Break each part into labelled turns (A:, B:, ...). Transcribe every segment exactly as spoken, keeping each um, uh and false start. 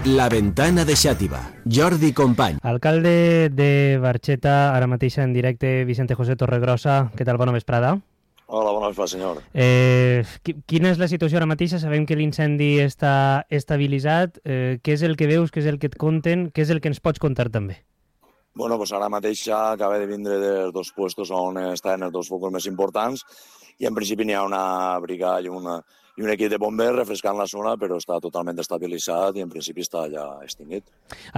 A: La Ventana de Xàtiva, Jordi Company.
B: Alcalde de Barxeta, ara mateix en directe, Vicente José Torregrossa. Què tal? Bona vesprada.
C: Hola, bona vesprada, senyor.
B: Eh, quina és la situació ara mateixa? Sabem que l'incendi està estabilitzat. Eh, què és el que veus, què és el que et conten, què és el que ens pots contar també?
C: Bueno, pues ara mateix ja acaba de vindre dels dos puestos on estan els dos focus més importants i en principi n'hi ha una brigada i, una, i un equip de bombers refrescant la zona, però està totalment estabilitzat i en principi està ja extingit.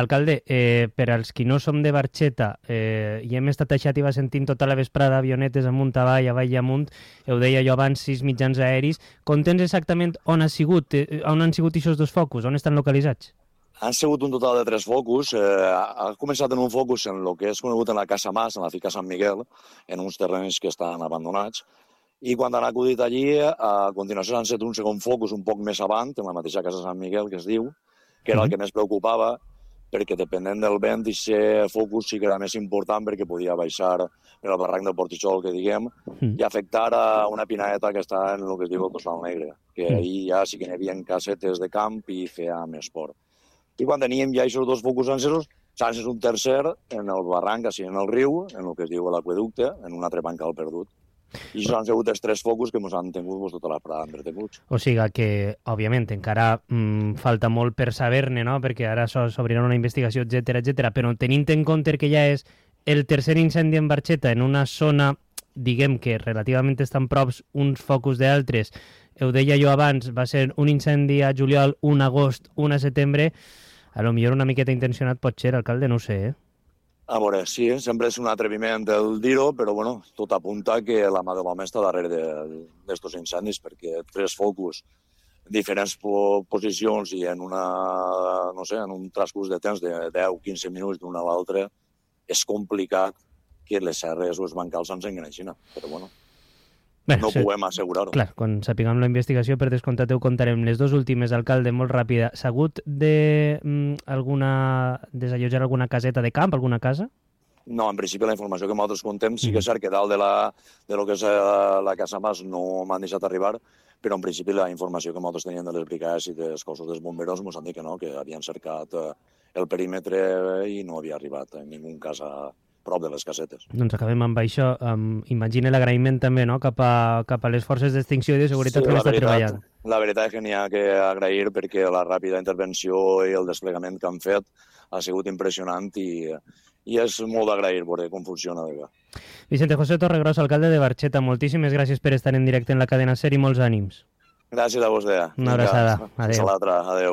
B: Alcalde, eh, per als qui no som de Barxeta eh, i hem estat a Xàtiva sentint tota la vesprada avionetes amunt, avall, avall i amunt, ho deia jo abans, sis mitjans aeris, contens exactament on ha sigut, eh, on han sigut aquests dos focus, on estan localitzats?
C: Han sigut un total de tres focus. Eh, ha començat en un focus en el que és conegut en la Casa Mas, en la finca Sant Miguel, en uns terrenys que estan abandonats. I quan han acudit allí, a continuació han set un segon focus un poc més avant, en la mateixa Casa Sant Miguel, que es diu, que era el que més preocupava, perquè depenent del vent, aquest focus sí que era més important perquè podia baixar per al barranc del Portixol, que diguem, i afectar a una pinaeta que està en el que es diu el Tossal Negre, que ahir ja sí que n'hi havia casetes de camp i feia més esport. I quan teníem ja aquests dos focus encesos, s'ha encès un tercer en el barranc, així en el riu, en el que es diu l'aqüeducte, en un altre bancal perdut. I això han sigut els tres focus que ens han tingut pues, tota la prada entretenuts.
B: O sigui que, òbviament, encara mm, falta molt per saber-ne, no? Perquè ara s'obrirà una investigació, etcètera, etcètera. Però tenint en compte que ja és el tercer incendi en Barxeta en una zona, diguem que relativament estan props uns focus d'altres, ho deia jo abans, va ser un incendi a juliol, un a agost, un a setembre, a lo millor una miqueta intencionat pot ser, alcalde, no ho sé, eh?
C: A veure, sí, sempre és un atreviment el dir-ho, però bueno, tot apunta que la mà de l'home està darrere d'aquests incendis, perquè tres focus, diferents posicions i en una, no sé, en un transcurs de temps de deu a quinze minuts d'una a l'altra, és complicat que les serres o els bancals ens enganeixin, però bueno. Bé, no sí. Podem assegurar-ho.
B: Clar, quan sapiguem la investigació, per descomptat, ho contarem. Les dues últimes, alcalde, molt ràpida. S'ha hagut de mm, alguna desallotjar alguna caseta de camp, alguna casa?
C: No, en principi la informació que nosaltres contem sí que és cert que dalt de, la, de lo que és la Casa Mas no m'han deixat arribar, però en principi la informació que nosaltres teníem de les brigades i dels cossos dels bomberos ens han dit que no, que havien cercat el perímetre i no havia arribat en ningú cas a prop de les casetes.
B: Doncs acabem amb això. Um, imagina l'agraïment també, no?, cap a, cap a les forces d'extinció i de seguretat sí, que han estat treballant.
C: La veritat és que n'hi ha que agrair perquè la ràpida intervenció i el desplegament que han fet ha sigut impressionant i, i és molt d'agrair veure com funciona.
B: Vicente José Torregrossa, alcalde de Barxeta, moltíssimes gràcies per estar en directe en la cadena SER i molts ànims.
C: Gràcies a vostè.
B: Una abraçada. Adéu.
C: Fins a l'altra. Adéu.